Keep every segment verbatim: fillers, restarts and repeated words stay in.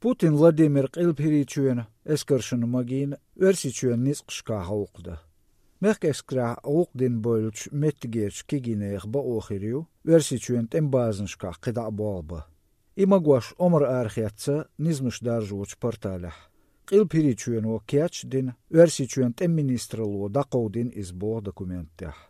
Putin Vladimir qilphiriçüen эскершин магин өрсичүен нисқшка хауқда. Мех эскра уқдин бойлч меттгерч кигинех ба охирю өрсичүен тембазншка қида болба. Имагуаш омр архиатса низмыш даржуч порталах. Qilphiriçüen о кячдин өрсичүен тем министрло дақоудин избо документтях.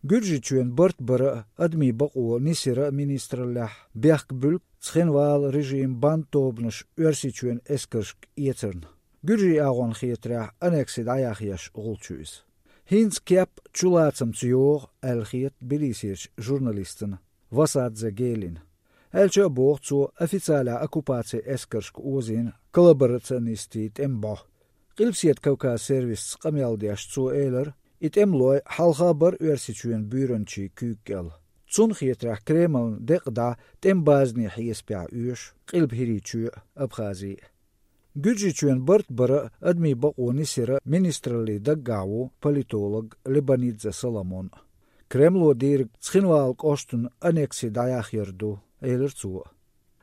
Гүржичүен бырт быры адми бақуо нисира министрлях бяхк бүлк цхинвал режим бантобныш өрсичүен эскершк иецерн. Гүржи агон хиетрях анексид аяхияш гулчуиз. Хинц кеп чулацам цюор әлхиет Тбилисирч журналистын Васадзе Гелин. Элче бог цу официаля оккупация эскершк озин коллаборационисти тембо. Qilpsiet Кавказ сервис qamyaldiyash цу элер итемлой халха бар өрсичүен бүйрөнчи күйкел. Цун хиетрах Кремл деқда тембазни хиеспя үш qilphiriçü Абхазии. Гүржичүен бырт быры адми бақуни сира министрли даггаву политолог Лебанидзе Соломон. Кремло дир цхинвал коштун анекси даяхерду элер цу.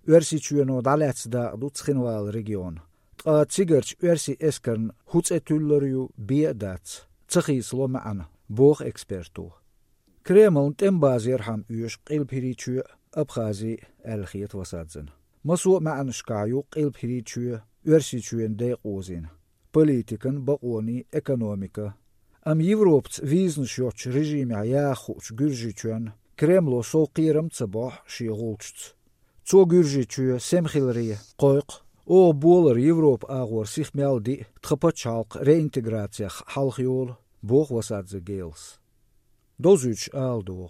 Өрсичүен даляцда ду цхинвал регион. Тқа цигерч өрси эскерн хуцетүллерю бедац. Цхис ломаан бог эксперту. Кремл тембаз ерхам үш qilphiriçü Абхази әлхиет васадзын. Масу маан шкаю qilphiriçü өрсичүен дейқозин. Политикан бақони экономика. Ам Европц визншёч режиме яхуч гүржичүен Кремло соқирым цыбох шиғулчц. Цо гүржичү семхилри қойқ о болар Европ агор сихмялди тхапачалқ реинтеграция халхиол бог васадзе гейлс. Дозүч алдуғ.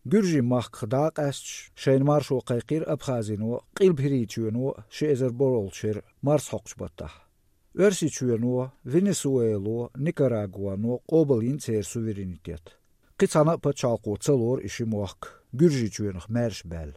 Гүржи махк даақ әсч шейн маршо қайқир Абхазино қилбхиричүено шеэзер боролчер марс хоқч баттах. Өрсичүено Венесуэло Никарагуано қобыл инцер суверенитет. Қицана пачалқо целор иши мохк гүржичүенх мәрш бәл.